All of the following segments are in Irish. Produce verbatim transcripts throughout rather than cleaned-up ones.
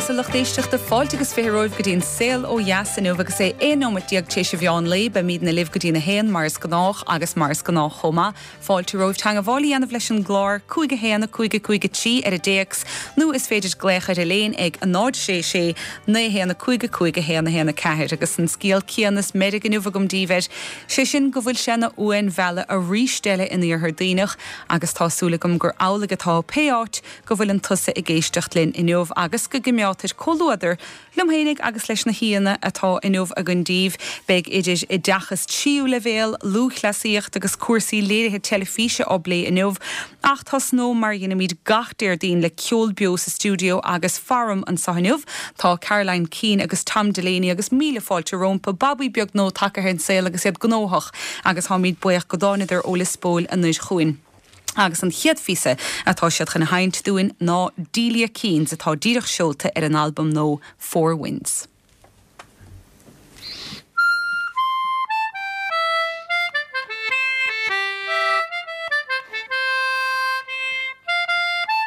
deas a lucht éisteachta fáilte agus fiche romhaibh go dtí an saol ó dheas inniu agus é aon nóiméad déag tar éis an mheán lae beimidne libh go dtí a haon mar is gnách agus mar is gnách chomh maith. Fáilte romhaibh teagmháil a dhéanamh leis an gclár cúig a haon a cúig a cúig a trí ar an dtéacs nó is féidir glaoch ar an líne ag a náid sé sé naoi haon a cúig a cúig a haon a haon a ceathair agus an scéal céanna is meirg inniu agam daoibh air. Sé sin go bhfuil sé ina uain mheala arís eile in iarthar Duibhneach agus tá súil agam gur amhlaidh atá pé áit go bhfuileann tusa ag éisteacht linn inniu agus go gcoimeádtar comhluadar liom féinig agus leis na haíonna atá inniu againn daoibh beidh idir oideachas tríú leibhéal, lúthchleasaíocht agus cúrsaí léirithe teilifíse á bplé inniu, ach tosnóidh mar a dhéanaimid gach Déardaoin le ceol beo sa stiúideo agus faram anseo inniu tá Caroline Keane agus Tom Delaney agus míle fáilte rompu babaí beag nua tagtha ar an saol agus iad gnóthach agus táimid buíoch go dtáinig siad ó Lios Póil anoir chugainn. Agus an chéad phíosa atá siad chun a sheinnt dúinn ná Delia Keane's atá díreach seolta ar an albam nua Four Winds. Thank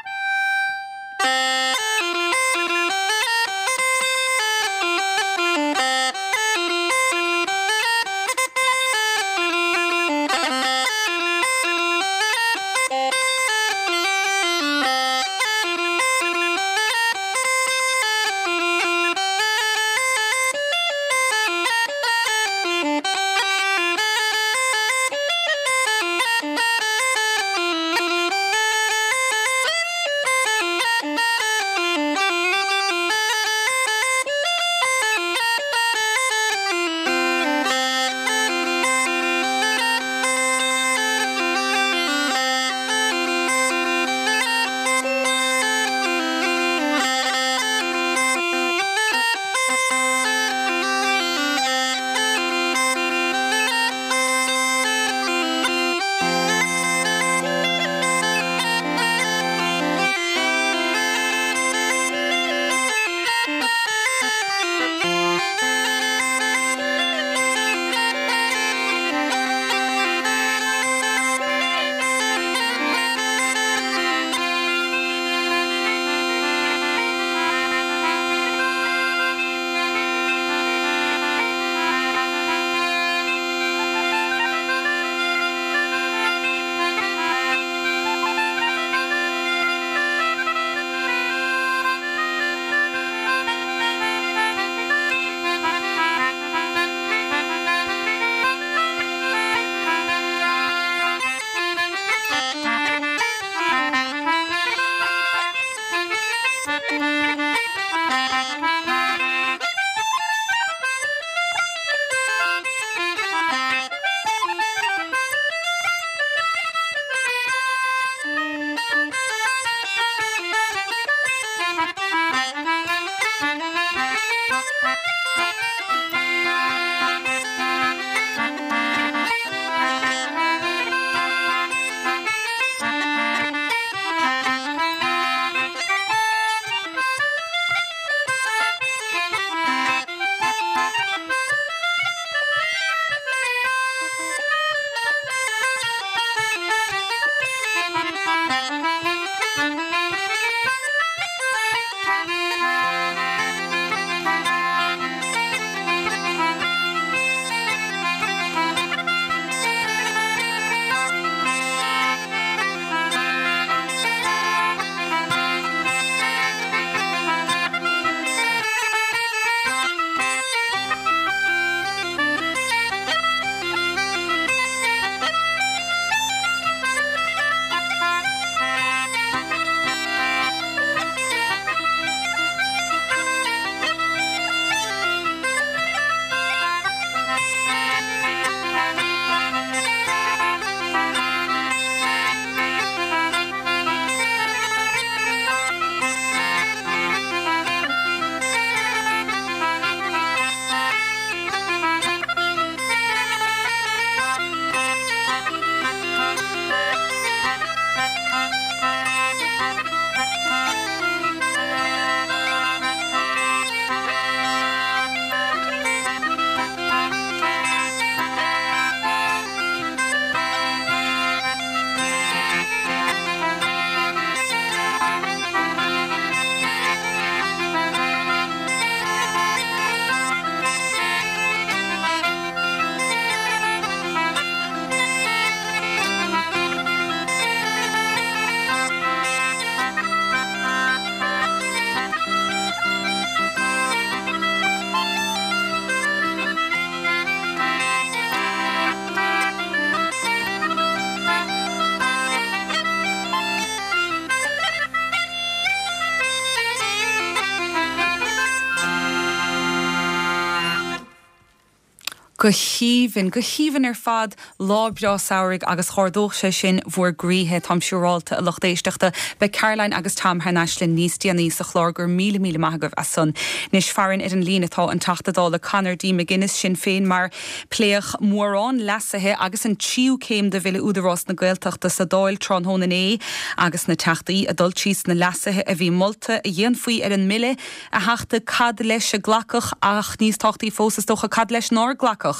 Go haoibhinn, go haoibhinn ar fad lá breá samhraidh agus chomhdódh sé sin bhur gcroíthe táim siúráilte a lucht éisteachta beidh Caroline agus Tom thar n-ais linn níos déanaí sa chlár go raibh míle míle maith agaibh as san. Anois farainn ar an líne atá an Teachta Dála Conor D. McGuinness Sinn Féin mar pléadh mórán leasuithe agus an tríú céim de Bhille Údarás na Gaeltachta sa Dáil tráthnóna inné agus na teachtaí ag dul tríd na leasuithe a bhí molta a dhéanfaí ar an mbille a Theachta cad leis a glacadh ach níos tábhachtaí fós is dócha cad leis nár glacadh.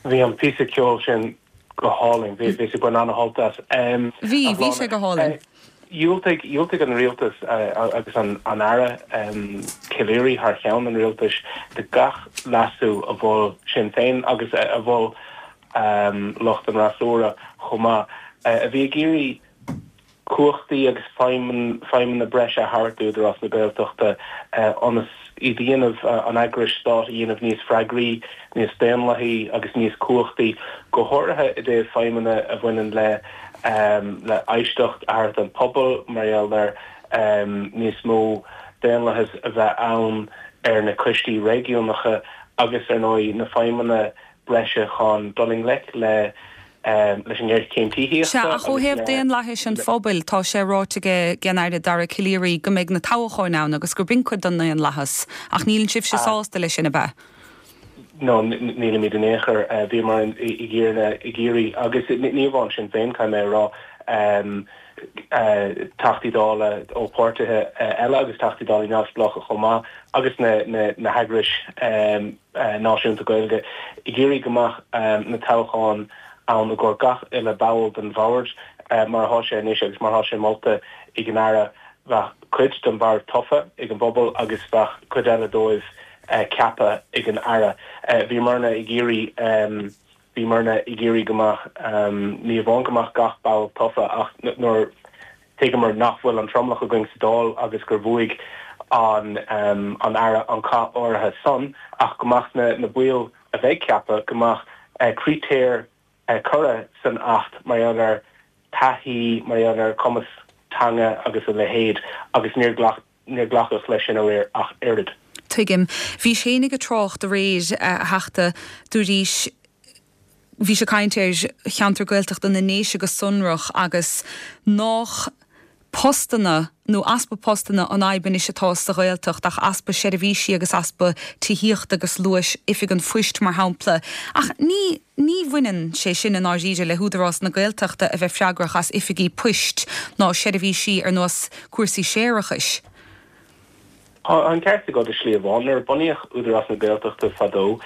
Bhí an píosa ceoil sin go hálainn, bhí bhí sé an-sult as. Bhí bhí sé go hálainn. Dhiúltaigh dhiúltaigh an rialtas agus an an Aire um, Calleary thar cheann an rialtais de gach leasú a mhol Sinn Féin agus a mhol um, lucht an fhreasúra chomh maith a bhí ag iarraidh cumhachtaí agus feidhmeanna breise a thabhairt d'Údarás na Gaeltachta ionas iad a dhéanamh an eagrais stáit a dhéanamh níos freagraí, níos daonlathaí agus níos cumhachtaí, go háirithe i dtaobh feidhmeanna a bhaineann le le éisteacht a thabhairt don phobal mar gheall ar níos mó daonlathas a bheith ann ar na coistí réigiúnacha agus ar ndóigh na feidhmeanna breise chun dul i ngleic le leis an ngéarchéim tithíochta. Sea, ach ó thaobh daonlathais an phobail, tá sé ráite ag an Aire Dara Calleary go mbeidh na toghcháin ann agus gur b'in cuid den daonlathas, ach níl sibhse sásta leis sin ab ea? No, nílimid in aon chor bhíomar ag iarraidh agus ní amháin Sinn Féin caithfidh mé a rá Teachtaí Dála ó pháirtithe eile agus Teachtaí Dála neamhspleácha chomh maith agus na heagrais náisiúnta Gaeilge ag iarraidh go mbeadh na toghcháin ann i gcomhair gach uile ball den bhord mar atá sé anois agus mar atá sé molta ag an Aire bheadh cuid den bhord tofa ag an bpobal agus bheadh cuid eile dóibh ceaptha ag an Aire. Bhíomarna ag iarraidh bhíomarna ag iarraidh go mbeadh ní amháin go mbeadh gach ball tofa ach nuair thuigeamar nach bhfuil an tromlach againn sa Dáil agus gur bhuaigh an an Aire an cath áirithe san ach go mbeadh na na baill a bheidh ceaptha go mbeadh critéir curtha san Acht mar gheall ar taithí, mar gheall ar cumas teanga agus a leithéid agus níor ghlac níor glacadh leis sin aréir ach oiread. Tuigim. Bhís féinig ag trácht aréir a Theachta dúraís bhís ag caint ar cheantar Gaeltachta na nDéise go sonrach agus nach postanna nó easpa postanna an fhadhb anois atá sa Ghaeltacht ach easpa seirbhísí agus easpa tithíochta agus luais oifig an phoist mar shampla. Ach ní ní bhaineann sé sin i ndáiríre le hÚdarás na Gaeltachta a bheith freagrach as oifigí poist ná seirbhísí ar nós cúrsaí séarachais. Tá an ceart agat i slí amháin. Nuair a bunaíodh Údarás na Gaeltachta fadó,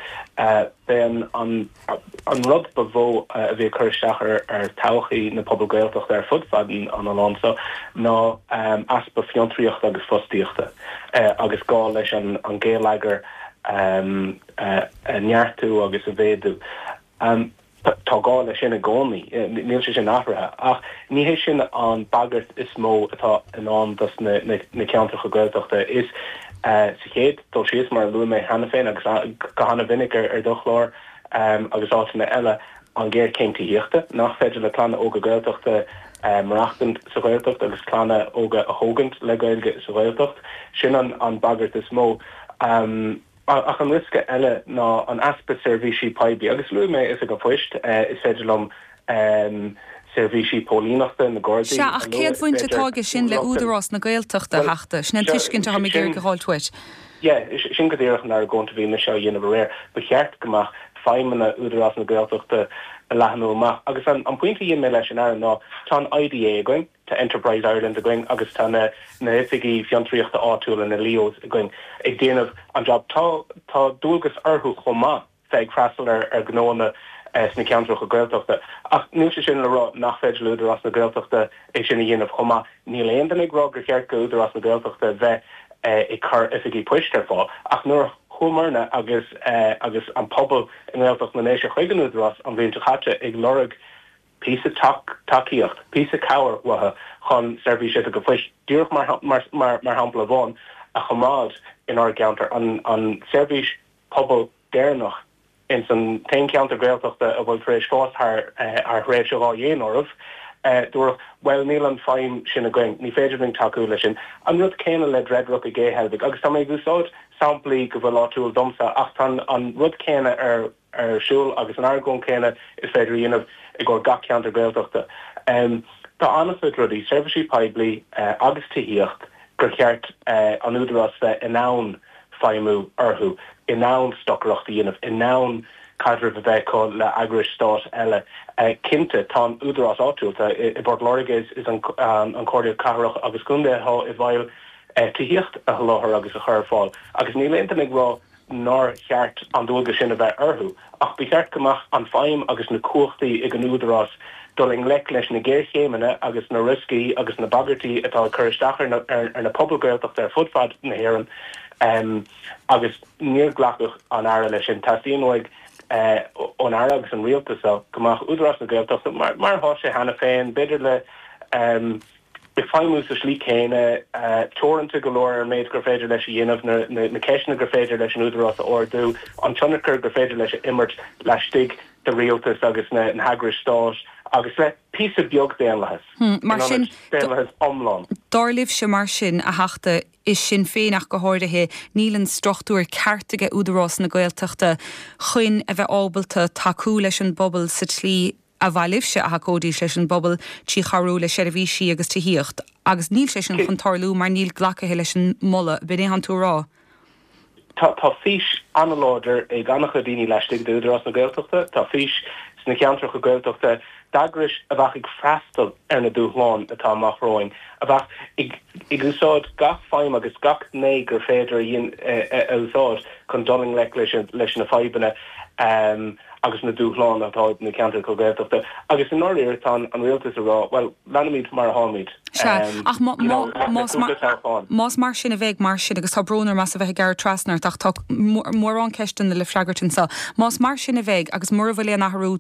b'é an an rud ba mhó a bhí ag cur isteach ar ar todhchaí na pobal Gaeltachta ar fud fad an oileáin seo ná easpa fiontraíochta agus fostaíochta agus gá leis an an geilleagar a neartú agus a mhéadú. Tá gá leis sin i gcónaí, níl sé sin athraithe. Ach ní hé sin an bagairt is mó atá i ndán dos na ceantracha Gaeltachta. Is sa chéad dul síos, mar a luaigh mé cheana féin agus go han-mhinic ar do chlár agus áiteanna eile, an ghéarchéim tithíochta, nach féidir le clanna óga Gaeltachta maireachtaint sa Ghaeltacht agus clanna óga a thógaint le Gaeilge sa Ghaeltacht. Sin an bagairt is mó. Ach an riosca eile ná an easpa seirbhísí poiblí, agus luaigh mé Oifig an Phoist, is féidir liom seirbhísí póilíneachta, na Gardaí Sea, ach a lua, cén is bhaint féidir atá aige sin le rochtain. Údarás na Gaeltachta, a Bhuel, Theachta? Sin an seo, tuiscint atá mé ag iarraidh sin, a fháilt uait. yeah, sin go díreach an argóint a bhí mise á dhéanamh aréir. Ba cheart go mbeadh feidhmeanna Údarás na Gaeltachta a leathnú amach. Agus an pointe a dhein mé leis an Aire ná, tá an IDA againn, Tá Enterprise Ireland againn agus tá na na hoifigí fiontraíochta áitiúla, na LEOs, againn ag déanamh an job. Tá tá dualgas orthu chomh maith bheith ag freastal ar ar ghnóanna sna ceantracha Gaeltachta. Ach níl sé sin le rá nach féidir le Údarás na Gaeltachta é sin a dhéanamh chomh maith. Níl aon duine ag rá gur cheart go Údarás na Gaeltachta bheith ag cur oifigí poist ar fáil. Ach nuair a chuamarna agus agus an pobal i nGaeltacht na nDéise chuig an Údarás an bhliain seo caite ag lorg píosa tacaíocht, píosa cabhair uathu chun seirbhís Oifig an Phoist, díreach mar shampla amháin, a choimeád inár gceantar, an seirbhís pobail deireanach ins an t-aon cheantar Gaeltachta a bhfuil tar éis fás thar thréimhse dhá dhéanamh oraibh. Dúradh, bhuel, níl an feidhm sin againn, ní féidir linn tacú leis sin. An rud céanna le Dreadrock i gCé Heilbhic, agus tá mé ag úsáid samplaí go bhfuil áitiúil domsa, ach tá an rud céanna ar ar siúl agus an argóint céanna is féidir a dhéanamh i gcomhair gach ceantar Gaeltachta. Tá an-chuid rudaí, seirbhísí poiblí agus tithíocht, gur cheart an Údarás bheith in ann feidhmiú orthu, in ann stocaireacht a dhéanamh, in ann caidreamh a bheith acu le eagrais stáit eile. Cinnte, tá an údarás áitiúil, tá i bPort Láirge, is an Chomhairle Cathrach agus Contae atá i bhfeighil tithíocht a sholáthar agus a chur ar fáil, agus níl aon duine ag rá nár cheart an dualgas sin a bheith orthu, ach ba cheart go mbeadh an feidhm agus na cumhachtaí ag an údarás dul i ngleic leis na géarchéimeanna agus na rioscaí agus na bagairtí atá ag cur isteach ar na pobail Ghaeltachta ar fud fad na hÉireann agus níor glacadh an Aire leis sin. Teastaíonn uaidh ón Aire agus an Rialtas seo go mbeadh Údarás na Gaeltachta, mar atá sé cheana féin, b'fhéidir le ag feidhmiú sa slí chéanna, teoranta go leor ar an méid gur féidir leis a dhéanamh, na ceisteanna gur féidir leis an Údarás a ardú, an tionchar gur féidir leis a imirt laistigh de rialtas agus na heagrais stáit agus le píosa beag daonlathas, in ionad daonlathas iomlán. Dar libhse mar sin, a Theachta, i Sinn Féin ach go háirithe, níl an struchtúr ceart aige Údarás na Gaeltachta chun a bheith ábalta tacú leis an bpobal sa tslí a mhaith libhse a thacóidís leis an bpobal trí chabhrú le seirbhísí agus tithíocht agus níl sé sin chun tarlú mar níl glacaithe leis an moladh. B'in é atánn tú a rá? Tá tá fís an-láidir ag an-chuid daoine laistigh d'Údarás na Gaeltachta. Tá fís sna ceantracha Gaeltachta d'eagrais a bheadh ag freastal ar na dúshláin atá amach romhainn, a bheadh ag ag úsáid gach feidhm agus gach gné gur féidir a a úsáid chun dul i ngleic leis leis na fadhbanna agus na dúshláin atá ag na ceantracha Gaeltachta. Agus i ndáiríre tá an rialtas ag rá, bhuel, leanfaimid mar atáimid. Sea, ach más mar sin a bheidh mar sin, agus tá brón orm as a bheith ag gearradh trasna ort ach tá mórán ceisteanna le freagairt anseo, más mar sin a bheidh agus mura bhfuil aon athrú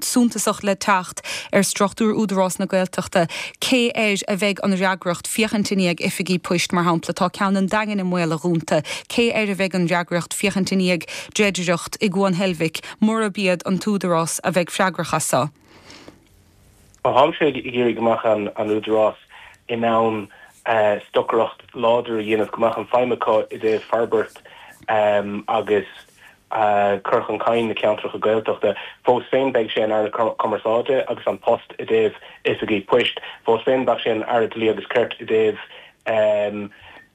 suntasach le teacht ar struchtúr Údarás na Gaeltachta, cé air a bheidh an fhreagracht féachaint i ndiaidh oifigí poist, mar shampla, tá ceann an Daingin i mbaol a dhúnta, cé air a bheidh an fhreagracht féachaint i ndiaidh dreidireacht i gCuan Heilbhic, murab iad an tÚdarás a bheidh freagrach as seo? Táimse ag iarraidh go mbeadh an Údarás in ann stocaireacht láidir a dhéanamh, go mbeadh an feidhm acu i dtaobh forbairt agus cur chun cinn na ceantracha Gaeltachta. Fós féin beidh sé an Aire Cumarsáide agus An Post i dtaobh oifigí poist. Fós féin beidh sé an Aire Dlí agus Cirt i dtaobh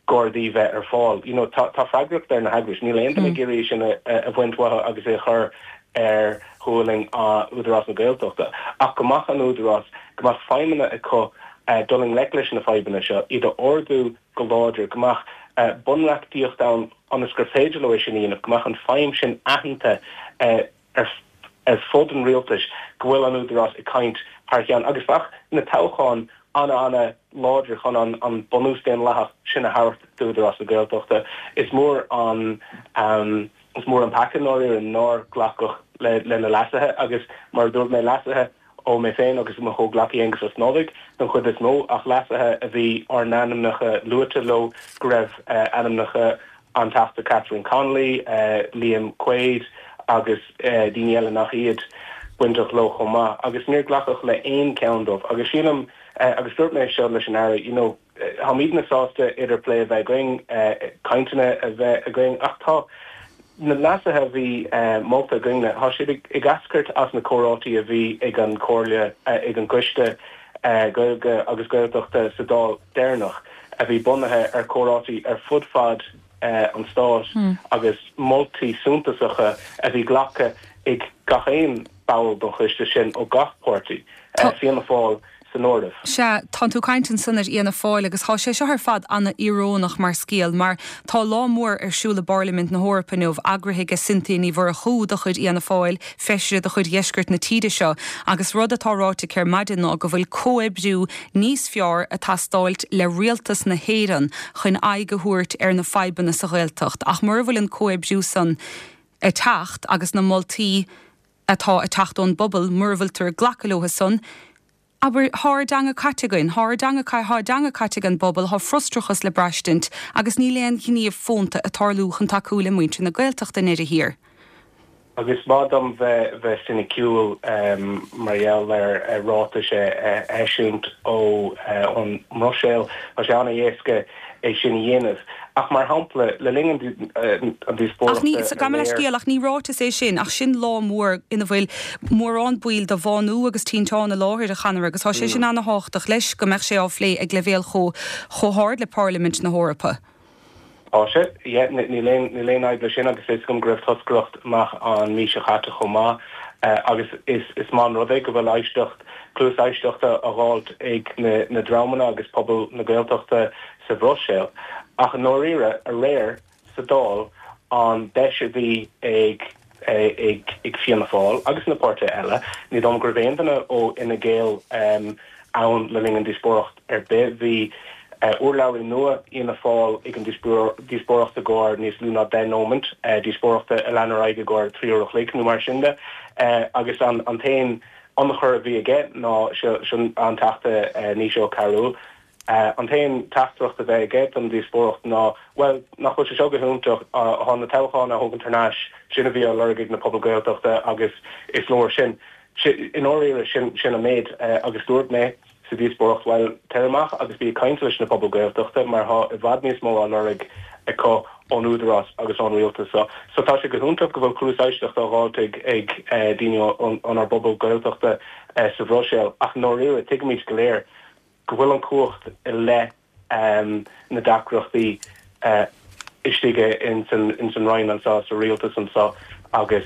Gardaí bheith ar fáil. You know, tá tá freagracht ar na heagrais. Níl aon duine ag iarraidh sin a a bhaint uathu agus é a chur ar ghualainn Údarás na Gaeltachta. Ach go mbeadh an Údarás, go mbeadh feidhmeanna acu dul i ngleic leis na fadhbanna seo, iad a ardú go láidir, go mbeadh bunreachtaíocht ann ionas gur féidir leo é sin a dhéanamh, go mbeadh an feidhm sin aitheanta ar ar fud an rialtais, go bhfuil an Údarás ag caint thar cheann agus bheadh na toghcháin an-an-láidir chun an an bunús daonlathach sin a thabhairt d'Údarás na Gaeltachta. Is mór an is mór an peaca i ndáiríre nár glacadh le le na leasuithe agus mar a dúirt mé leasuithe ó mé féin agus mo chomhghleacaí Aengus Ó Snodaigh don chuid is mó ach leasuithe a bhí ár n-ainmneacha luaite leo go raibh ainmneacha an Teachta Catherine Connolly, Liam Quaide agus daoine eile nach iad bainteach leo chomh maith agus níor glacadh le aon cheann dóibh agus sílim agus dúirt mé seo leis an Aire you know táimidne sásta idirphlé a bheith againn, cainteanna a bheith againn ach tá na leasuithe a bhí molta againne, tá siad ag eascairt as na comhráití a bhí ag an Chomhairle, ag an gCoiste Gaeilge agus Gaeltachta sa Dáil deireanach, a bhí bunaithe ar chomhráití ar fud fad an stáit agus moltaí suntasacha a bhí glactha ag gach aon ball den choiste sin ó gach páirtí, Fianna Fáil san áireamh. Sea, tánn tú ag caint ansan ar Fhianna Fáil agus thá sé seo ar fad ana-íorónach mar scéal mar tá lá mór ar siúl i bPairlimint na hEorpa inniu, eagraithe ag Cynthia Ní Mhurchú de chuid Fhianna Fáil, feisire de chuid dheisceart na tíre seo, agus rud atá ráite aici ar maidin ná go bhfuil comhoibriú níos fearr ag teastáilt le rialtas na hÉireann chun aghaidh a thabhairt ar na fadhbanna sa Ghaeltacht ach mura bhfuil an comhoibriú san ag teacht agus na moltaí atá ag teacht ón bpobal, mura bhfuiltear ag glacadh leo san, abair, thá ár dteanga caite againn, thá ár dteanga, thá a dteanga caite ag an bpobal, thá frustrachas le braistint agus níl aon ghníomh fónta ag tarlú chun tacú le muintir na Gaeltachta i ndeireadh thiar. Agus is maith dom bheith bheith soiniciúil mar gheall ar ráitis a eisiúint ó ón mBruiséil, tá sé an-éasca é sin a dhéanamh. Ach mar shampla, le linn an díospóireachta. Ach ní, gabh mo leithscéal, ach ní ráiteas é sin, ach sin lá mór ina bhfuil mórán baill de Bhánú agus Tinteán i láthair, a Chonaire, agus tá sé sin ana-thábhachtach leis go mbeadh sé á phlé ag leibhéal chomh chomh hard le Parlaimint na hEorpa. Tá sé, yeah, níl aon níl aon fhadhb leis sin agus is agam go raibh toscaireacht amach an mhí seo chaite chomh maith agus is is maith an rud é go bhfuil éisteacht, cluas éisteachta á dh'fháilt ag na na dreamanna agus pobal na Gaeltachta sa Bhruiséil. Ach i ndáiríre, aréir sa Dáil, an deis a bhí ag ag ag Fianna Fáil agus na páirtithe eile, ní dóigh liom go raibh aon duine ó Fhine Gael ann le linn an díospóireacht ar bith. Bhí urlabhraí nua Fhianna Fáil ag an díospóireacht i gcomhair níos lú ná deich nóimint, díospóireacht a lean ar aghaidh i gcomhair trí uair a chloig nó mar sin de, agus an t-aon ionchur a bhí aige ná sin an Teachta Naoise Ó Cearúil. An t-aon teachtaireacht a bheith aige don díospóireacht ná, bhuel, nach bhfuil sé seo go hiontach, tá na toghcháin á thógaint thar n-ais, sin a bhí á lorg ag na pobail Gaeltachta agus is leor sin. I ndáiríre, sin sin an méid. Agus dúirt mé sa díospóireacht, bhuel, tar amach agus bí ag caint leis na pobail Gaeltachta mar tá i bhfad níos mó á lorg acu ón Údarás agus ón Rialtas seo. So tá sé go hiontach go bhfuil cluas éisteachta á dh'fháilt ag ag daoine ónár bpobal Gaeltachta sa Bhruiséil ach i ndáiríre tuigimid go léir go bhfuil an chumhacht i leith na deacrachtaí istigh ins an Roinn anseo, sa Rialtas anseo agus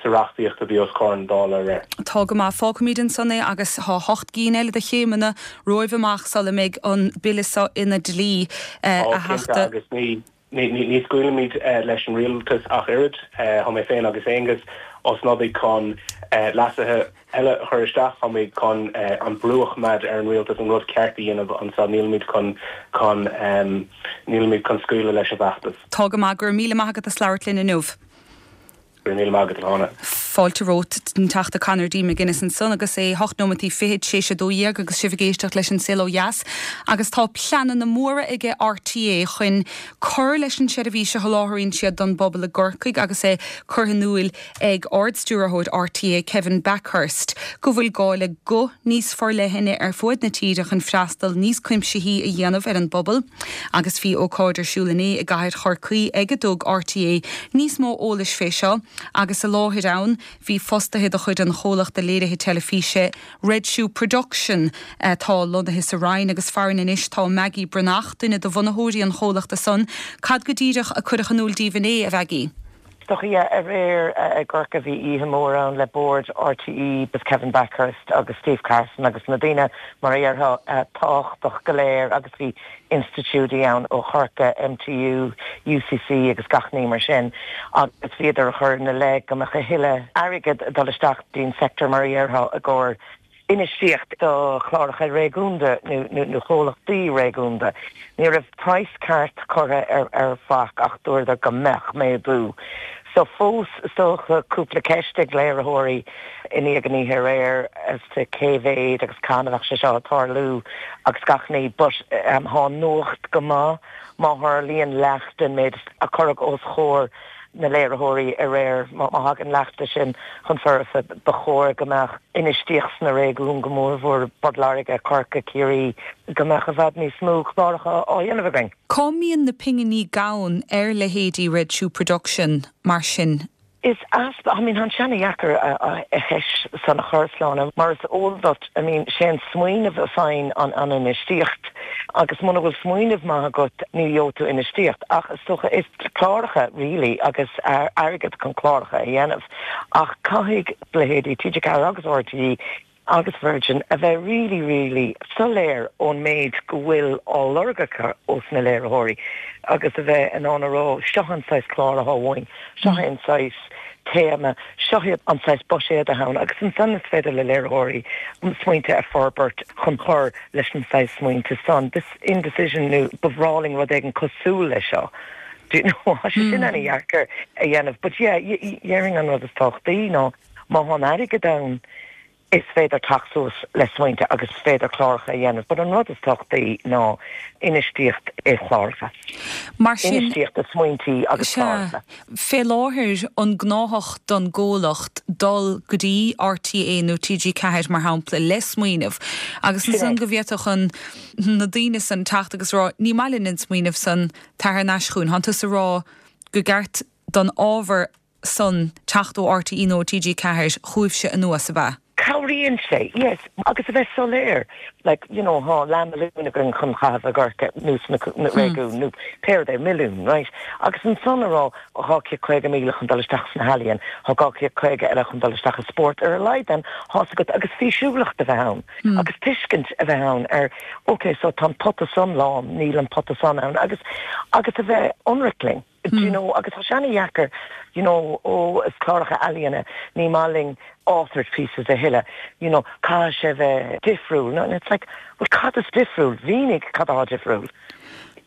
sa reachtaíocht a bhí os comhair na Dála aréir. Tá go maith. Fágfaimid ansan é agus tá hocht gcinn eile de chéimeanna romhaibh amach sula mbeidh an Bille seo ina dlí, a Ó, cinnte, Theachta. agus ní. Ní scaoilfimid leis an rialtas ach oiread. Tá mé féin agus Aengus Ó Snodaigh chun leasuithe eile a chur isteach. Táimid chun an brú a choimeád ar an rialtas an rud ceart a dhéanamh anseo. Nílimid chun chun nílimid chun scaoileadh leis an bhfeachtas. Tá go maith. Go raibh míle maith agat as labhairt linn inniu. Go raibh míle maith agat, a Shláine. Fáilte romhat, an Teachta Conor D. McGuinness ansan agus é hocht nóimeataí fichead théis a dó dhéag agus sibh ag éisteacht leis an Saol Ó Dheas agus tá pleananna móra aige RTÉ chun cur leis an tseirbhís a sholáthraíonn siad don bpobal i gCorcaigh agus é curtha in iúil ag Ard-Stiúrthóir RTÉ Kevin Bakhurst go bhfuil gá le guth níos forleithne ar fuaid na tíre chun freastal níos cuimsithí a dhéanamh ar an bpobal agus bhí ócáid ar siúl inné i gcathair Chorcaí ag a dtug RTÉ níos mó eolais fé seo agus i láthair ann bhí fostaithe de chuid an chomhlachta léirithe teilifíse Red Shoe Production atá lonnaithe sa Rinn agus farainn anois tá Maggie Breathnach, duine de bhunaitheoirí an chomhlachta san. Cad go díreach a cuireadh in iúl daoibh inné, a Mhaggie? Is dócha, yeah, aréir i gCorcaigh bhí oíche mhór ann le bord RTÉ agus Kevin Bakhurst agus Steve Carson agus na daoine mar a déarfá tábhachtach go léir agus bhí institiúidí ann ó Chorcaigh, MTU, UCC agus gach ní mar sin agus bhíodar ag cur ina leith go mbeadh a thuilleadh airgid ag dul isteach dtí'n sector mar a déarfá i gcomhair infheistíocht do chláracha réigiúnda nó chomhlachtaí réigiúnda. Ní raibh praghas ceart curtha ar ar faic ach dúradar go mbeadh méadú. So fós is dócha cúpla ceist ag léiritheoirí i ndiaidh an oíche aréir as to cé mhéad agus cathain a bheadh sé seo ag tarlú agus gach ní but tá nuacht go maith má tharlaíonn leath den méid a cuireadh os chomhair na léiritheoirí aréir. Má thagann leath de sin chun foirfe ba chóir go mbeadh infheistíocht sna réigiúin go mórmhór Port Láirge, Corcaigh, Ciarraí, go mbeadh i bhfad níos mó cláracha á dhéanamh againn. Cá mbíonn na pinginí gann ar leithéidí Red Shoe Production mar sin? Is easpa, I mean, tá sé ana-dheacair an cheist san a chur, Sláine, mar is eol duit, I mean, sé an smaoineamh a fhaigheann an an infheistíocht agus muna bhfuil smaoineamh maith agat ní gheobhaidh tú infheistíocht ach is dócha is cláracha really agus airgead chun cláracha a dhéanamh ach caithfidh leithéidí TG Ceathair agus RTÉ agus Virgin a bheith really really soiléir ón méid go bhfuil á lorg acu ós na léiritheoirí agus a bheith in ann a rá seo an saghas clár atá uainn, seo an saghas téama, seo an saghas buiséad atá ann agus ansan is féidir le léiritheoirí smaointe a forbairt chun cur leis an saghas smaointe san. This indecision nó ba bhreá linn rud éigin cosúil leis seo. Do you know, tá sé sin ana-dheacair a dhéanamh but yeah, dhéarfainn an rud is tábhachtaí ná má tá an airgead ann, Is féidir teacht suas le smaointe agus is féidir cláracha a dhéanamh, but an rud is tábhachtaí ná infheistíocht i chláracha. Mar sin Infheistíocht i smaointí agus cláracha. Fé láthair an gnáthach don gcomhlacht dul go dtí RTÉ nó TG Ceathair mar shampla le smaoineamh agus Sin é. san go bhféadfadh an na daoine san teacht agus rá ní maith linn an smaoineamh san tar thar n-ais chugainn, Tá tú ag rá gur ceart don ábhar san teacht ó RTÉ nó TG Ceathair chugaibhse anuas ab ea. Cabhraíonn sé, yes, agus a bheith soiléir, like, you know, tá leath milliún againn chun caitheamh i gCorcaigh nó sna na réigiún nó pé rud é milliún, right? Agus ansan a rá dhá chéad caoga míle chun dul isteach sna healaíon, tá dhá chéad caoga eile chun dul isteach i spórt ar a laghad then tá agat agus físiúlacht a bheith ann agus tuiscint a bheith ann ar okay, so tá an pota san lán, níl an pota san ann agus agus a bheith ionraic linn. Do you know, agus tá sé an-deacair, you know, ó is cláracha ealaíona, ní maith linn authored pieces a thuilleadh, you know, caithfidh sé bheith difriúil. No, and it's like, well, cad is difriúil? Mínigh cad atá difriúil.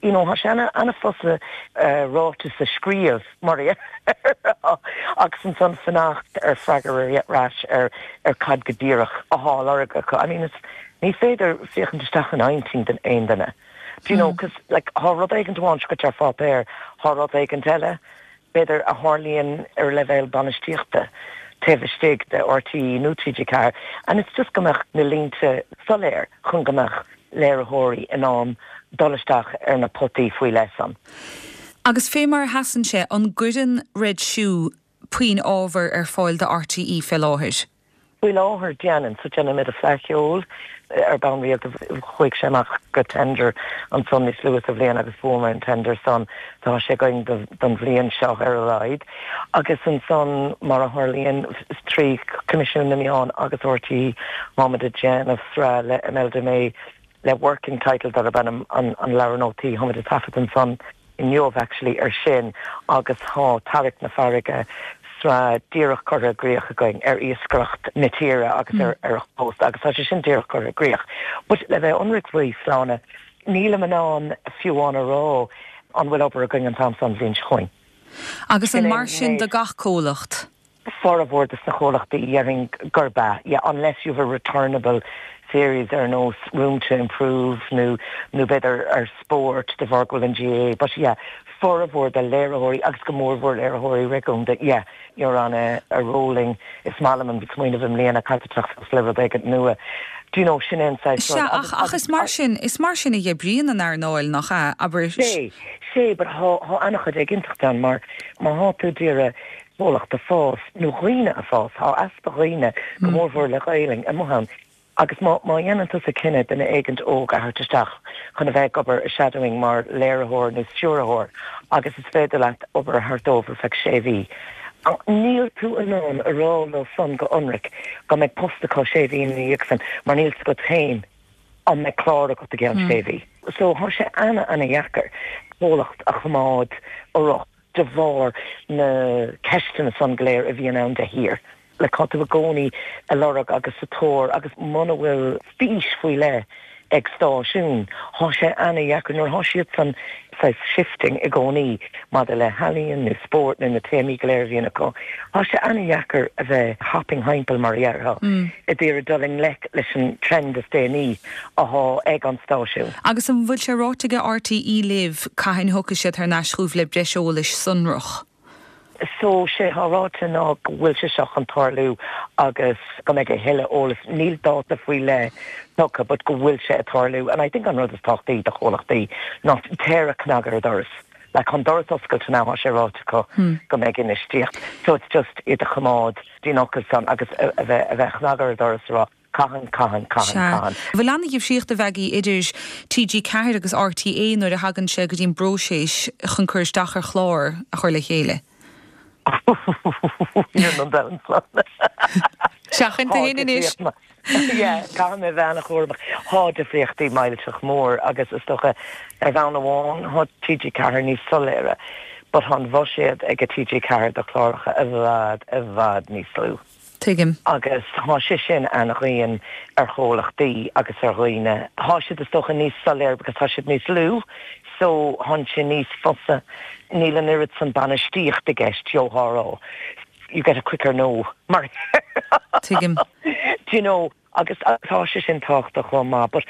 You know, tá sé ana an-fhusa uh, ráiteas a scríobh mar agus ansan fanacht ar freagra ar ais ar ar cad go díreach atá á lorg acu. I mean, it's, ní féidir féachaint isteach in intinn den aon duine. Do you know, cos like tá rud éigin amháin go ar pháipéar, tá rud éigin eile, b'fhéidir a tharlaíonn ar leibhéal bainistíochta taobh istigh de RTÉ nó TG Ceathair, and it's just go mbeadh na línte soiléir chun go mbeadh léiritheoirí in ann dul isteach ar na potaí faoi leith san. Agus fé mar a sheasann sé an gcuireann Red Shoe puinn ábhar ar fáil do RTÉ fé láthair. Faoi láthair déanann so déanaimid an Fleadh Cheoil ar bhonn rialta chuaigh sé amach go tender ansan níos luaithe sa bhliain agus bhuamar an tender san tá sé againn don bhliain seo ar a laghad. Agus ansan mar a tharlaíonn trí Coimisiún na Meán agus RTÉ táimid ag déanamh sraith le Imelda May le working title darb ainm an an leabhar nótaí táimid ag taifead ansan inniu actually ar sin agus tá Tarrac na Farraige sraith díreach curtha i gcrích againn ar iascaireacht na tíre agus ar ar a chósta agus tá sé sin díreach curtha i gcrích. But le bheith ionraic faoi Shláine, nílim in ann fiú amháin a rá an bhfuil obair againn an t-am san bhliain seo chugainn. Agus an Sin é mar sin méid. do gach comhlacht. Formhór de na comhlachtaí déarfainn gurb ea, yeah, unless you've a returnable series ar nós room to improve nó nó b'fhéidir ar sport de bharr go bhfuil an GAA, but yeah, formhór de léiritheoirí agus go mórmhór léiritheoirí réigiúnda, yeah, you're on a, a rolling is maith liom an smaoineamh i mbliana caiteach le rud éigin nua. Do you know sin an Se ach ach is mar sin is mar sin a oibríonn an earnáil nach ea abair Sé sé but tá an-chuid éiginnteacht ann mar má tá tú ag iarraidh comhlacht a fás nó dhaoine a fás tá easpa dhaoine go mórmhór le Gaeilge amuigh ann. Agus má má dhéanann tú sa cinneadh duine éigin óg a thabhairt isteach chun a bheith ag obair i shadowing mar léiritheoir nó stiúrthóir agus is féidir leat obair a thabhairt dóibh ar feadh sé mhí. Níl tú in ann a rá leo san go hionraic go mbeidh post acu sé mhí ina dhiaidh san mar níl agat féin an mbeidh clár agat i gceann sé mhí. So tá sé ana ana-dheacair comhlacht a choimeád urach de bharr na ceisteanna san go léir a bhíonn ann de shíor. Le tá tú i gcónaí ag lorg agus sa tóir agus muna bhfuil fís faoi leith ag stáisiún, Tá sé ana-dheacair nuair tá siad san saghas shifting i gcónaí maidir le healaíon nó spórt nó na téamaí go léir a bhíonn acu. Tá sé ana-dheacair a bheith hopping thimpeall mar a déarfá ag iarraidh dul i ngleic leis an trend is déanaí atá ag an stáisiún. Agus an bhfuil sé ráite ag RTÉ libh cathain a thiocfaidh siad thar n-ais chugaibh le breis eolais sonrach. So sé atá ráite ná go bhfuil sé seo chun tarlú agus go mbeidh a thuilleadh eolas níl dáta faoi leith tugtha, but go bhfuil sé ag tarlú and I think an rud is tábhachtaí do chomhlachtaí ná téir cnag ar an doras. Like an doras oscailte ná sé ráite go go mbeidh infheistíocht. So it's just iad a choimeád díonachas san agus a a bheith a bheith cnag ar an doras rá cathain cathain cathain cathain. Bhfuil an-difríocht a bheidh idir TG Ceathair agus RTÉ nuair a thagann sé go dtí an bpróiseas chun cur isteach ar chlár a chur le chéile. an dan Seachain tú féin anois. Caithfidh mé bheith an-chúramach tá difríochtaí millteach mór agus is dócha ar bhonn amháin tá TG Ceathair níos soiléire, but tá an buiséad ag a TG Ceathair do chláracha i bhfad i bhfad níos lú. Tuigim. Agus tá sé sin an-dhian ar chomhlachtaí agus ar dhaoine. Tá siad is dócha níos soiléir because tá siad níos lú, so tá sé níos fusa níl an oiread san bainistíocht i gceist jó rá. you get a quicker no mar Tuigim. Do you know agus tá sé sin tábhachtach chomh maith, but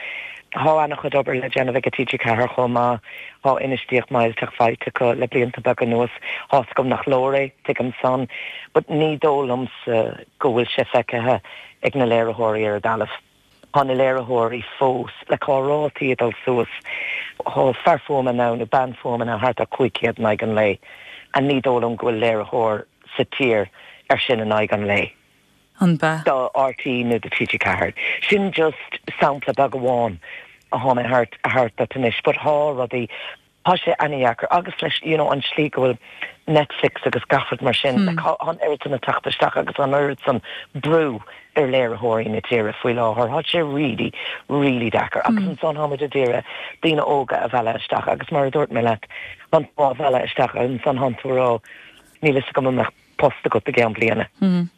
tá an-chuid obair le déanamh ag T G Ceathair chomh maith tá infheistíocht millteach faighte acu le blianta beaga anuas tá gom nach leor é tuigim san, but ní dóigh liomsa go bhfuil sé feicthe ag na léiritheoirí ar an dtalamh. Tá na léiritheoirí fós le tá rátaí ag dul suas tá fear fuaime ann nó bean fuaime ann thart ar cúig chéad in aghaidh an lae, an ní dóigh liom go bhfuil léiritheoir sa tír ar sin in aghaidh an lae. An be? Do R T É nó do T G Ceathair. Sin just sampla beag amháin a tháinig thart thart anois, but tá rudaí Tá sé an-deacair agus leis you know, an slí go bhfuil Netflix agus gach rud mar sin hmm. like, an oiread san ag teacht isteach agus an oiread san brú ar léiritheoirí na tíre faoi láthair tá sé really really deacair agus hmm. ansan táimid ag iarraidh daoine óga a mhealladh isteach agus mar a dúirt mé leat an á mhealladh isteach ansan tá tú ag rá níl a fhios agam an mbeadh post agat i gceann bliana. Mm.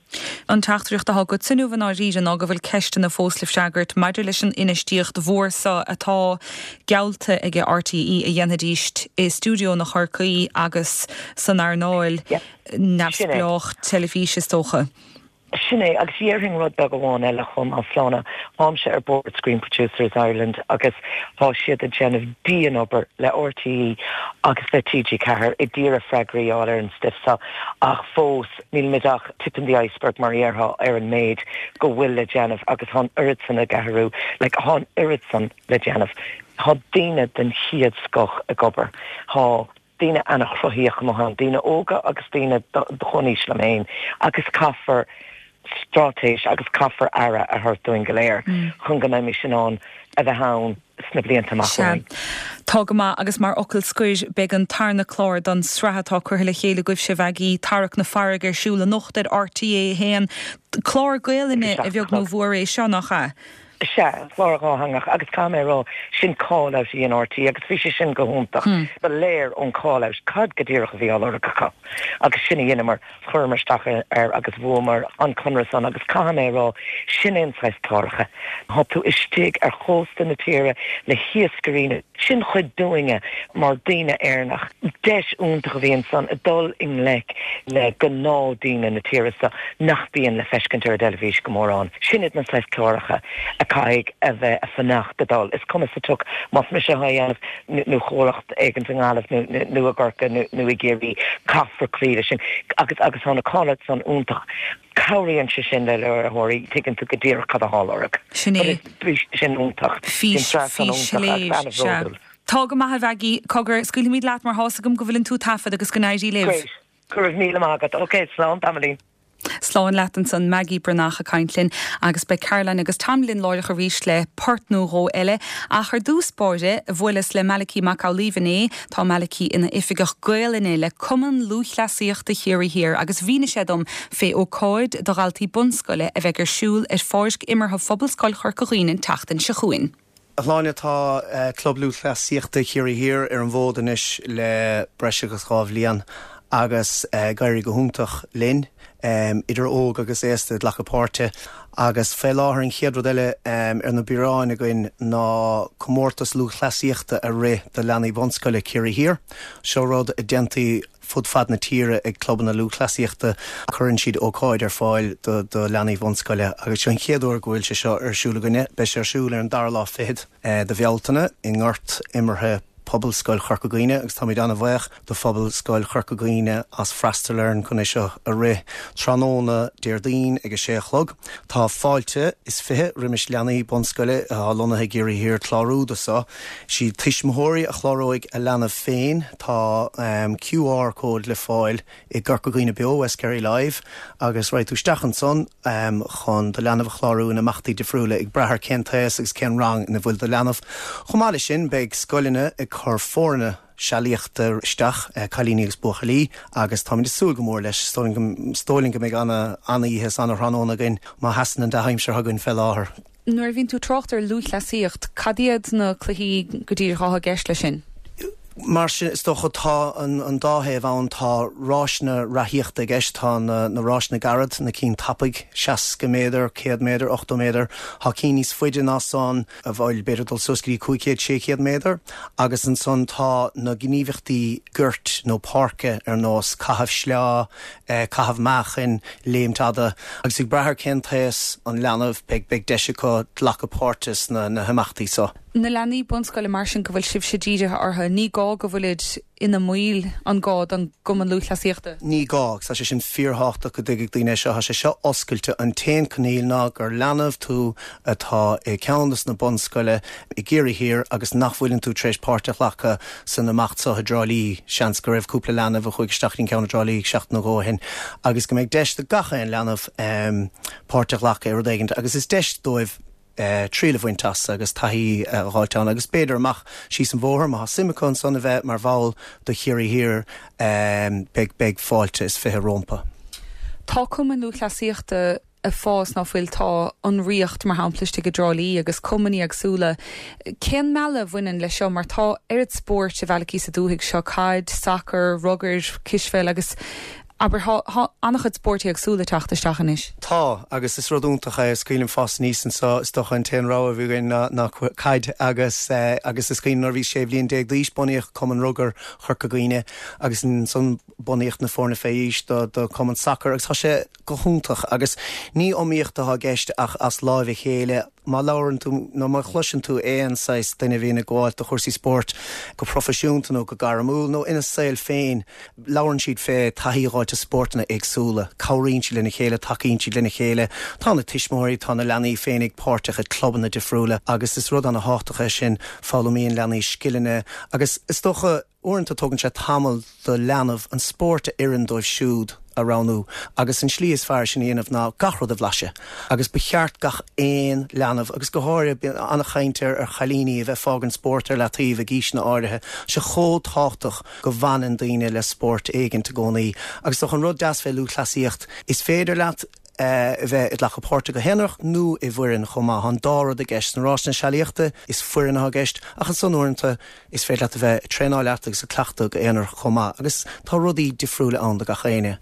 An teachtaireacht atá agat inniu i ndáiríre ná go bhfuil ceisteanna fós le freagairt maidir leis an infheistíocht mhór seo atá geallta ag R T É a dhéanfaidís i stiúideo na Chorcaí agus san earnáil neamhspleách teilifíse is dócha. Sin é agus déarfainn rud beag amháin eile chomh maith Sláine táimse ar Board Screen Producers Ireland agus tá siad ag déanamh dian-obair le R T É agus le T G Ceathair ag iarraidh freagraí a fháil ar an stuif seo ach fós níl muid ach tip in the iceberg mar dhéarfá ar an méid go bhfuil le déanamh agus tá an oiread san ag athrú le tá an oiread san le déanamh. Tá daoine den chéad scoth ag obair. Tá daoine an-chruthaitheach maith daoine óga agus daoine chomhaois liom féin agus caithfear straitéis agus caithfear aire a thabhairt dúinn go léir mm. chun go mbeimid in ann a bheith ann sna blianta amach. Tá go maith agus mar fhocal scoir beidh an tarna clár den tsraith atá curtha le chéile agaibhse Mhaggie Tarrac na Farraige ar siúl anocht ar R T É haon clár Gaelainne a bheag nó a mhór é seo nach ea. Sea clár dátheangach agus caithfidh mé a rá sin call-out í an R T É agus bhí sé sin go hiontach. Hmm. Ba léir ón call-out cad go díreach a bhí á lorg acu agus sin a dheineamar chuireamar isteach air agus bhuamar an conradh san agus caithfidh mé a rá sin an saghas cláracha. Tá tú istigh ar chósta na tíre le hiascairí sin chuid dúinne mar daoine Éireannach. Deis iontach a bhí ansan a dul i ngleic le gnáthdaoine na tíre seo nach mbíonn le feiscint ar an dteilifís go mórán. Sin iad na saghas cláracha a chaithfidh a bheith a fanacht a dul. Is cuma sa tsioc más mise á dhéanamh nó comhlacht éigin i nGaillimh nó i gCorcaigh nó i gCiarraí caithfear cloí leis sin agus agus tá na call san iontach. Cabhraíonn sé sin le léiritheoirí tuigeann tú go díreach cad atá á lorg. Sin é. Sin iontach. Tá go maith Mhaggie cogar scaoilfimid leat mar tá a fhios agam go bhfuil tú ag taifead agus go n-éirí libh. Go raibh míle maith agat, Ok, slán tamaillín. Slán leat ansan Maggie Breathnach ag caint linn agus beidh Caroline agus Tom linn láithreach arís le port nó dhó eile ach ar dtús báire bhuaileas le Malachy Mac Amhlaoibh inné tá Malachy ina oifigeach Gaelainne le Cumann Lúthchleasaíochta Chiarraí Thiar agus mhínigh sé dom fé ócáid do dhaltaí bunscoile a bheidh ar siúl ar pháirc imeartha Phobalscoil Chorca Dhuibhne an tseachtain seo chugainn. Shláine tá uh, Club Lúthchleasaíochta Chiarraí Thiar ar an bhfód anois le breis agus dhá bhliain agus uh, ag éirí go hiontach linn um, idir óg agus aosta ag glacadh páirte agus fé láthair an chéad rud eile um, ar na bioráin againn ná comórtas lúthchleasaíochta a rith do leanaí bunscoile Ciarraí Thiar. Seo rud a déantaí fud fad na tíre ag clubanna lúthchleasaíochta cuireann siad ócáid ar fáil do, do leanaí bunscoile agus seo an chéad uair go bhfuil sé seo ar siúl againne, beidh sé ar siúl ar an dara lá fichead eh, de Bhealtaine i ngort imeartha Pobalscoil Chorca Dhuibhne agus táimid an-bhuíoch do Phobalscoil Chorca Dhuibhne as freastal orainn chun é seo a rith tráthnóna Déardaoin ag a sé a chlog. Tá fáilte is fiche roimh leanaí bunscoile atá lonnaithe i gCiarraí Thiar clárú do seo. Siad tuismitheoirí a chláróidh a leanbh féin tá um, Q R cód le fáil i gCorca Dhuibhne Beo West Kerry Live agus raghaidh tú isteach ansan um, chun do leanbh a chlárú in imeachtaí difriúla ag brath ar cén t-aois agus cén rang ina bhfuil do leanbh. Chomh maith leis sin beidh scoileanna ag cur foirne sealaíochta isteach eh, cailíní agus buachaillí agus táimid ag súil go mór leis is dóigh linn go mbeidh an-oíche is an-tráthnóna againn má sheasann an dea-aimsir chugainn fé láthair. Nuair a bhíonn tú ag trácht ar lúthchleasaíocht, cad iad na cluichí go díreach atá i gceist leis sin? Mar sin is dócha tá an, an dá thaobh ann tá rásanna reathaíochta i gceist tá na, na rásanna gairid na cinn tapaidh seasca méadar, céad méadar, ochtó méadar, Tá cinn níos faide ná san a bhfuil b'fhéidir dul suas go dtí cúig chéad sé chéad méadar, agus ansan tá na gníomhaíochtaí goirt nó páirce ar nós caitheamh sleá, eh, caitheamh meáchain, léimt fhada, agus ag brath ar cén t-aos an leanbh beidh beidh deis acu glacadh páirte sna na himeachtaí so. Na leanaí bunscoile mar sin go bhfuil sibhse dírithe orthu, ní gá go bhfuilid ina mbaill an gá don gCumann Lúthchleasaíochta? Ní gá, tá sé sin fíorthábhachtach go dtuigfidh daoine seo tá sé seo oscailte an t-aon choinníoll ná gur leanbh tú atá i gceann des na bunscoile i gCiarraí Thiar agus nach bhfuileann tú tar éis páirt a ghlacadh san imeacht seo i dTrá Lí seans go raibh cúpla leanbh a chuaigh isteach an ceann i dTrá Lí seachtain nó dhó ó shin agus go mbeidh deis do gach aon leanbh um, páirt a ghlacadh i rud éigin agus is deis dóibh Uh, triail a bhaint as agus taithí uh, a fháil agus b'fhéidir amach síos an bhóthar má suim acu ansan a bheith mar bhall do Chiarraí Thiar um, beidh beidh fáilte is fiche rompu. Tá cumann lúthchleasaíochta ag fás ná fuil tá an Ríocht mar shampla istigh i dTrá Lí agus cumainn éagsúla. Cén mealladh a bhaineann leis seo mar tá oiread spóirt i bhfeilcí sa dúthaigh seo caid, sacar, rugar, cispheil agus Aber tá an-chuid spóirt éagsúla ag teacht isteach anois. Tá agus is rud iontach é is cuimhin liom fás aníos anseo is dócha an t-aon rogha a bhí againn ná ná caid agus eh, agus is cuimhin nuair a bhí sé bhliain déag d'aois bunaíodh Cumann Rugar Chorca Dhuibhne agus ansan bunaíodh na foirne fé aois do do Cumann Sacar agus tá sé go hiontach agus ní iomaíocht atá i gceist ach as láimh a chéile má labhrann tú nó má chloiseann tú aon saghas duine a bhíonn ag gabháil do chúrsaí spóirt go proifisiúnta nó go gairmiúil nó ina saol féin, labhrann siad fé taithí a fháilt i spórtanna éagsúla, cabhraíonn siad lena chéile, tacaíonn siad lena chéile, tá na tuismitheoirí, tá na leanaí féinig páirteach i clubanna difriúla agus is rud an-thábhachtach é sin, foghlaimíonn leanaí scileanna agus is dócha uaireanta tógann sé tamall do leanbh an spórt a oireann dóibh siúd a roghnú agus an slí is fearr sin a dhéanamh ná gach rud a bhlaiseadh agus ba cheart gach aon leanbh agus go háirithe an-chaint ar ar chailíní a bheith fágaint spórt ar leataobh ag aoiseanna áirithe sé chomh tábhachtach go bhfanann daoine le spórt éigin i gcónaí agus tá an rud deas fé lúthchleasaíocht is féidir leat a bheith ag glacadh páirte go haonarach nó i bhfoireann chomh maith an dá rud i gceist na rásanna sealaíochta is foireann atá i gceist ach ansan uaireanta is féidir leat a bheith ag traenáil leat agus ag cleachtadh go haonarach chomh maith agus tá rudaí difriúla ann do gach éinne.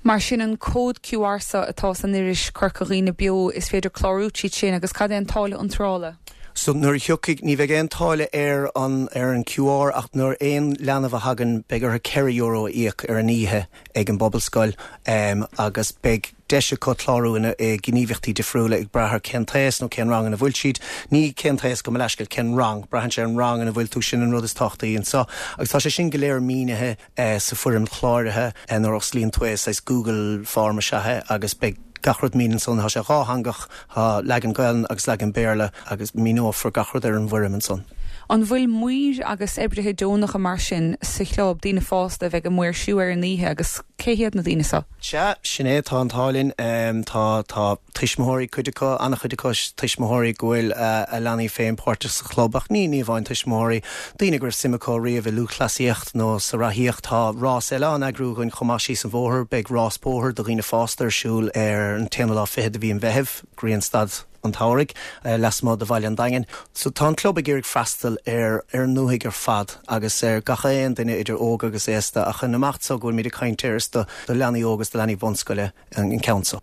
Mar sin an cód QR so atá san iris Corca Dhuibhne Beo is féidir clárú tríd sin agus cad é an táille iontrála. So nuair a thiocfaidh ní bheidh aon táille ar an ar an QR ach nuair aon leanbh a thagann beidh orthu ceithre euro a íoc ar an oíche ag an bPobalscoil um, agus beidh deis acu clárú ina i gníomhaíochtaí difriúla ag brath ar cén t-aos nó cén rang ina bhfuil siad, ní cén t-aos gabh mo leithscéal cén rang, braitheann sé an rang ina bhfuil tú sin an rud is tábhachtaí anseo agus tá sé sin go léir mínithe eh, sa foirm chláraithe eh, nuair a osclaíonn tú é saghas Google form is ea é agus beidh gach rud mínithe ansan tá sé dátheangach tá leagan Gaeilge agus leagan Béarla agus míneofar gach rud ar an bhfoirm ansan. An bhfuil maoir agus oibrithe deonacha mar sin sa chlub daoine fásta a bheidh ag maoirsiú ar an oíche agus cé hiad na daoine seo? Sea, sin é tá an t-ádh linn um, tá tá tuismitheoirí cuid acu an-chuid acu tuismitheoirí go bhfuil uh, a leanaí féin páirteach sa chlub ach ní ní amháin tuismitheoirí daoine go raibh suim acu riamh i lúthchleasaíocht nó sa reathaíocht tá rás eile á eagrú againn chomh maith síos an bhóthar beidh rás bóthair do dhaoine fásta ar siúl ar an t-aonú lá fichead de mhí an Mheithimh Grianstad an tsamhraidh uh, lasmuigh de Bhaile an Daingin. So tá an club ag iarraidh freastal ar ar an ndúthaigh ar fad agus ar gach aon duine idir óg agus aosta ach an imeacht so go bhfuil muid ag caint air is do do leanaí óg agus do leanaí bunscoile an, an ceann so.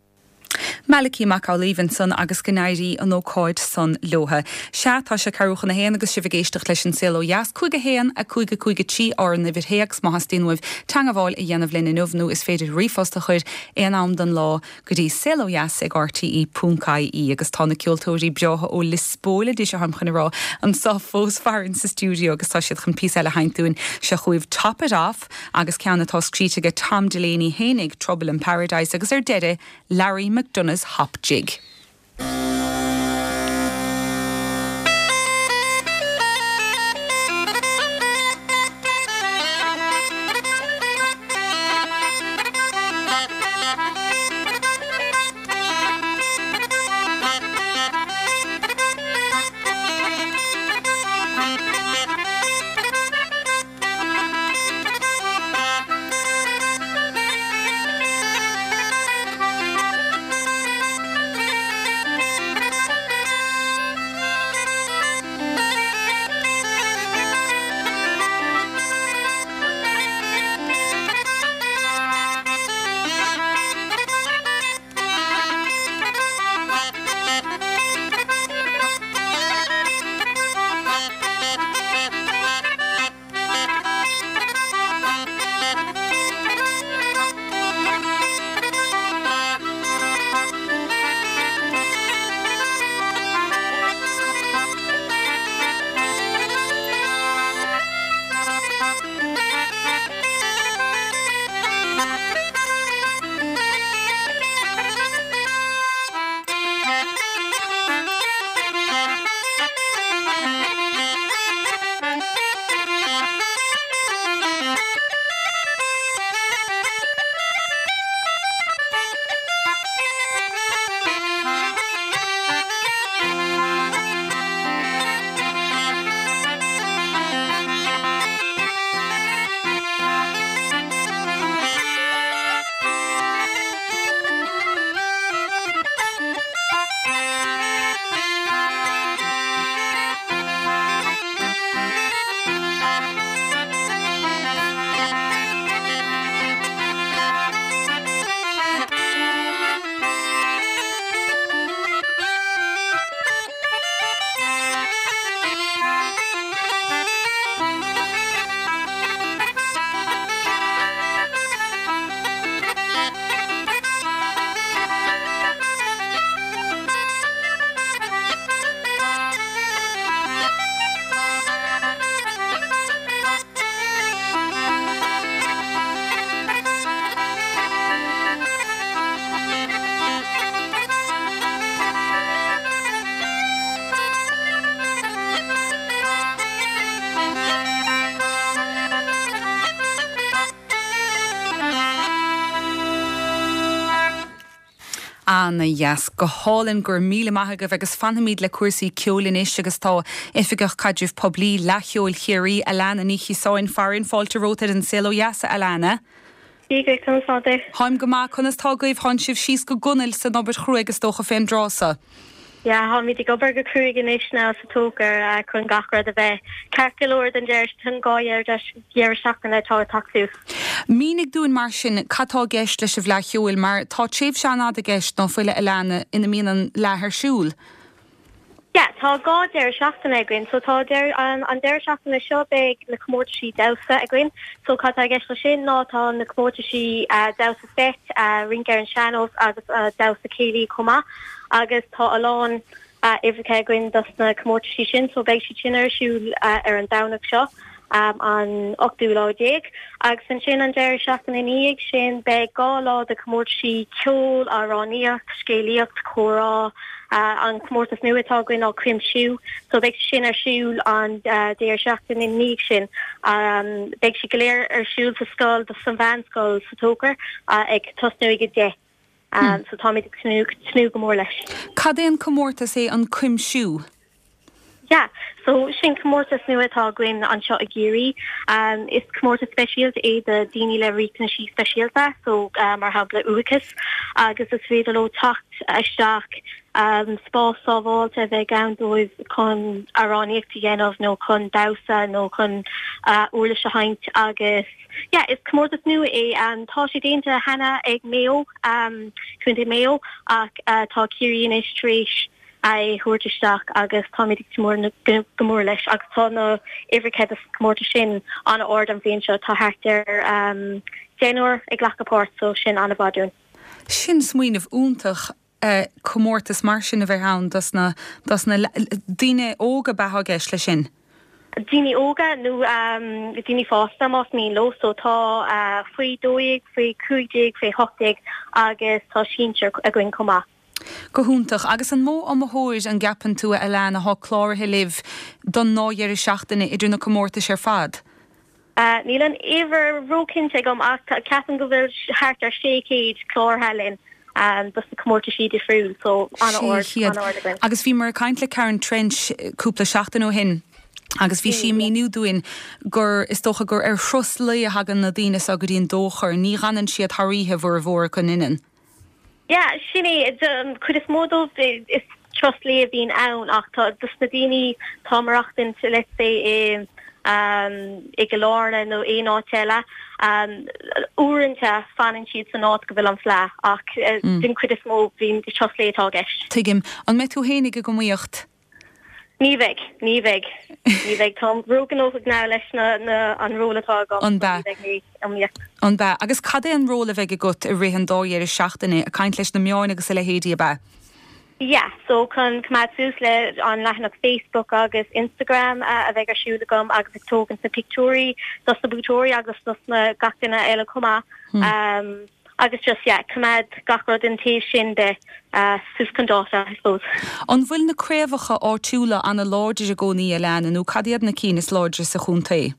Malachy Mac Amhlaoibh ansan agus go n-éirí an ócáid san leo. Sea tá sé ceathrú chun a haon agus sibh ag éisteacht leis an saol ó dheas cúig a haon a cúig a cúig a trí ár n-uimhir théacs má theastaíonn uaibh teagmháil a dhéanamh linn inniu nó is féidir ríomhphost a chur aon am den lá go dtí saol ó dheas ag RTE ponc IE agus tá na ceoltóirí breátha ó Liospóil a dís chun rá anseo fós farainn sa stiúideo agus tá siad chun píosa eile a sheinnt dúinn seo chugaibh Top It Off agus ceann atá scríte ag Tom Delaney féinig Trouble in Paradise agus ar deireadh Larry McDonagh's Hop Jig. Ana dheas go hálainn go raibh míle maith agaibh agus fanfaimid le cúrsaí ceoil anois agus tá Oifigeach Caidrimh Poiblí Fhleadh Cheoil Chiarraí Alana Ní Chiosáin farainn fáilte romhat ar an Saol Ó Dheas Alana. Táim go maith conas tá agaibh tánn sibh síos go gunail san obair chruaidh is dócha fén dtráth so. Ja táimid ag obair go cruaidh anois now sa Tóchar chun gach rud a bheith ceart go leor don deireadh dhá dheireadh seachtaine atá ag teacht suas. Mínigh dúinn mar sin cad tá i gceist leis an bhFleadh Cheoil mar tá tréimhse an-fhada i gceist ná fuil a Alana ina mbíonn an fhleadh ar siúl. Ja, tá dhá deireadh seachtaine againn, so tá der, an, an deireadh seachtaine seo beidh na comórtaisí damhsa againn, so cad tá i gceist leis sin ná tá na comórtaisí uh, damhsa seit, uh, rince ar an sean-nós agus uh, damhsa céilí chomh maith agus tá a lán uh, uimhreacha againn dos na comórtaisí sin, so beidh siad sin ar siúl uh, ar an Domhnach seo. Um, an ochtú lá déag agus ansin an deireadh seachtaine ina dhiaidh sin beidh dhá lá de comórtaisí ceol amhránaíocht, scéalaíocht, comhrá uh, an comórtas nua atá againn á cuimsiú, so beidh sin ar siúl an uh, deireadh seachtaine ina dhiaidh sin. Um, beidh sé go léir ar siúl sa scoil do san mheánscoil sa Tóchar uh, ag tosnú ag deich. Um, hmm. so táimid ag tnúth go mór leis. Cad é an comórtas é an cuimsiú? Ja, so sin comórtas nua atá againn anseo i gCiarraí. Um, is comórtas speisialta é do daoine le riachtanaisí speisialta, so uh, mar shampla uathachas, agus is féidir leo teacht isteach um, spás sábháilte a bheith ann dóibh chun amhránaíocht a dhéanamh nó chun damhsa nó chun uh, uirlis a sheinnt agus yeah, is comórtas nua é um, tá sé déanta cheana ag Maigh Eo um, Contae Maigh Eo ach uh, tá Ciarraí anois tar éis é thabhairt isteach agus táimid mór go mór leis agus tá na uimhreacha sa comórtas sin an-ard an bhliain seo tá thart ar um, deichniúr ag glacadh páirt so sin an-mhaith dúinn. Sin smaoineamh iontach uh, comórtas mar sin a bheith ann dos na dos na daoine óga atá i gceist leis sin. Daoine óga nó um, daoine fásta más mian leo so tá uh, faoi dó dhéag, faoi cúig déag, faoi hocht déag agus tá sinsir againn chomh maith. Go hiontach agus an mó iomaitheoir an gceapann tú a Alana atá cláraithe libh don dá dheireadh seachtaine idir na comórtais ar fad. Uh, níl an uimhir róchinnte agam ach ceapaim go bhfuil thart ar sé chéad cláraithe linn um, dos na comórtaisí difriúil so an-ard Agus bhí mé ag caint le Karen Trench cúpla seachtain ó shin. Agus bhí sí ag míniú dúinn gur is dócha gur ar thuras lae a thagann na daoine so go dtí an Tóchar, ní fhanann siad thar oíche mhór chun innan. Ja, sin é um, chuid is mó dóibh is turas lae a bhíonn ann ach tá dus na daoine tá maireachtaint let's say i um, i Gaillimh nó aon áit eile um, uaireanta fanann siad san áit go bhfuil an fhleadh ach uh, mm. den chuid is mó bhíonn turas lae atá i gceist. Tuigim an mbeidh tú féin ag an iomaíocht? Ní bheidh, ní bheidh, ní bheidh Tá róghnóthach now leis na, na an ról atá agam An bea An bea agus cad é an ról a bheidh agat i rith an dá dheireadh seachtaine ag caint leis na meáin agus a leithéidí ab ea. Yeah, so chun coimeád suas le an leathanach Facebook agus Instagram uh, a bheidh ar siúl agam agus ag tógaint na pictiúirí dos na buaiteoirí agus dos na gach duine eile chomh maith. Hmm. Um, agus just yeah, coimeád gach rud an taobh sin de uh, suas chun dáta, I suppose. An bhfuil na craobhacha áitiúla an-láidir i gcónaí Alana nó cad iad na cinn is láidre sa chontae?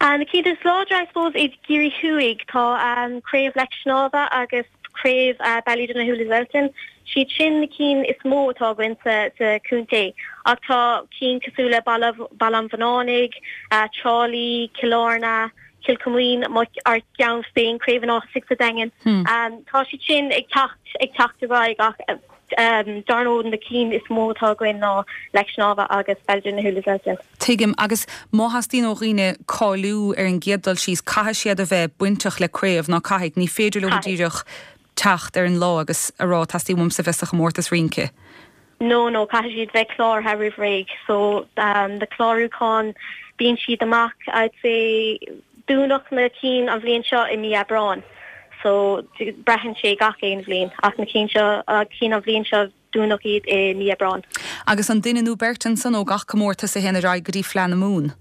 Uh, na cinn is láidre I suppose i gCiarraí Thuaidh tá um, craobh Leic Snámha agus craobh uh, Ballydonoghue Liswellton. Siad sin na cinn is mó atá againn sa, sa chontae. Ach tá cinn cosúil le Baile an Bhunánaigh, uh, Trá Lí, Cill Airne, Cill Choimín ár gceann féin Craobh an Ághasaigh sa Daingean. Hmm. Um, tá siad sin ag teacht ag teacht ar ach um, dar ndóigh na cinn is mó atá againn ná Leic Snámha agus Ballydonoghue Liswellton. Tuigim agus má theastaíonn ó dhaoine cáiliú ar an gcéad dul síos caithfidh siad a bheith bainteach le craobh ná caithfidh ní féidir leo díreach teacht ar an lá agus a rá teastaíonn uaimse bheith sa chomórtas rince. No no caithfidh siad bheith cláraithe roimh ré so um, na clárúcháin bíonn siad amach I'd say dúnadh na cinn an bhliain seo i mí Aibreán. So braitheann sé gach aon bhliain ach na cinn seo cinn an bhliain seo dúnadh iad i mí Aibreán. Agus an duine nó beirt ansan ó gach comórtas a théann ar aghaidh go dtí Fleadh na Mumhan.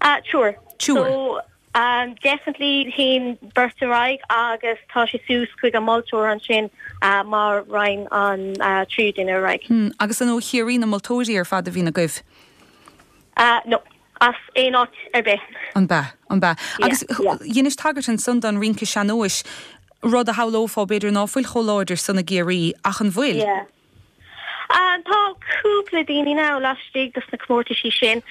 Uh, sure. Sure. So, um, definitely théann beirt ar aghaidh agus tá sé suas chuig an moltóir ansin uh, mar raon an uh, tríú duine ar aghaidh. Hmm, agus an ó Chiarraí na moltóirí ar fad a bhíonn agaibh? Uh, no. as aon áit ar bith. An bea an bea. Agus dheinis tagairt ansan don rince sean-nóis Rud a shamhlófá b'fhéidir ná fuil chomh láidir san i gCiarraí, ach an bhfuil? Yeah. Tá cúpla daoine now laistigh dos na comórtaisí sin.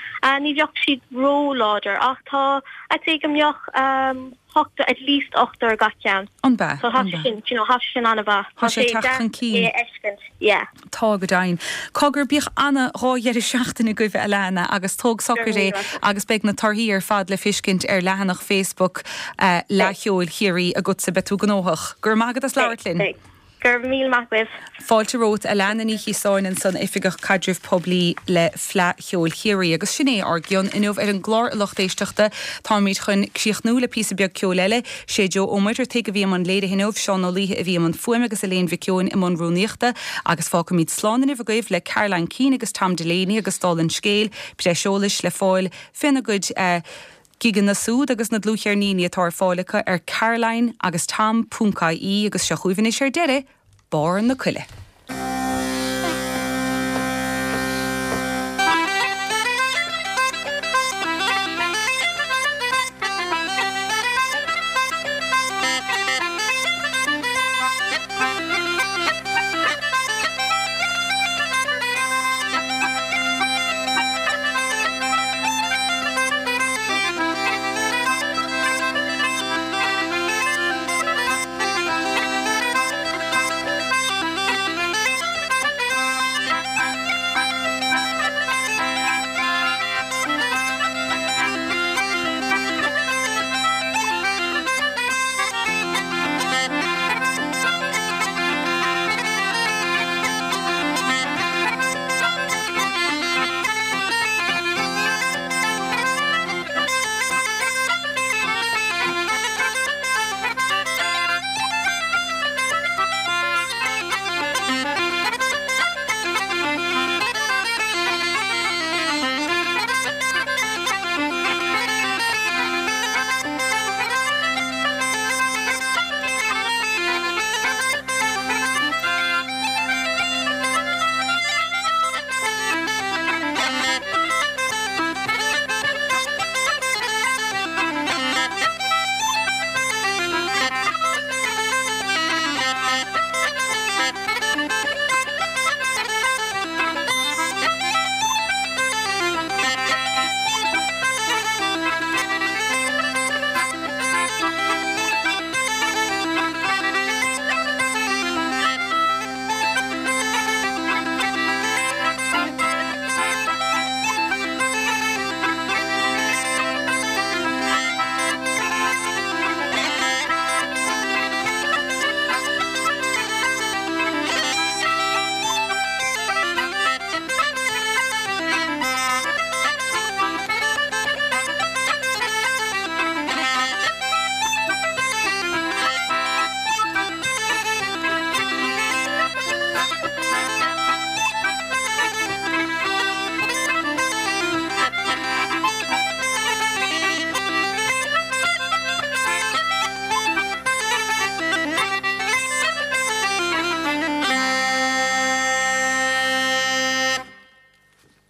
Ní bheadh siad ró-láidir ach tá, I'd say go mbeadh hocht, at least ochtar gach ceann. An bea? So tá sé sin, you know, tá sé sin an-mhaith. Tá sé ag teacht chun cinn. É a fheiscint, yeah. Tá go deimhin. Cogar, bíodh ana dhá dheireadh seachtaine agaibh a Alana agus tóg socair é agus beidh na torthaí ar fad le fiscint ar leathanach Facebook Fhleadh Cheoil Chiarraí agatsa. Beidh tú gnóthach. Go raibh maith agat as labhairt linn. Beidh, beidh. Go raibh míle maith agaibh. Fáilte romhat, Alana Ní Chiosáin ansan, Oifigeach Caidrimh Poiblí le Fleadh Cheoil Chiarraí. Agus sin é ár gcion inniu ar an gclár a lucht éisteachta. Táimid chun críochnú le píosa beag ceoil eile. Sé Joe Ó Muircheartaigh a bhí i mbun léirithe inniu, Seán Ó Laoithe a bhí i mbun fuaime agus Elaine Mhic Eoin i mbun rúnaíochta. Agus fágfaimid slán inniu agaibh le Caroline Keane agus Tom Delaney agus dála an scéil, breis eolais le fáil féna gcuid gigeanna súd agus na dlúthcheirníní atá ar fáil acu ar caroline agus tom ponc ie agus seo chugaibh anois ar deireadh, Barr na Coille.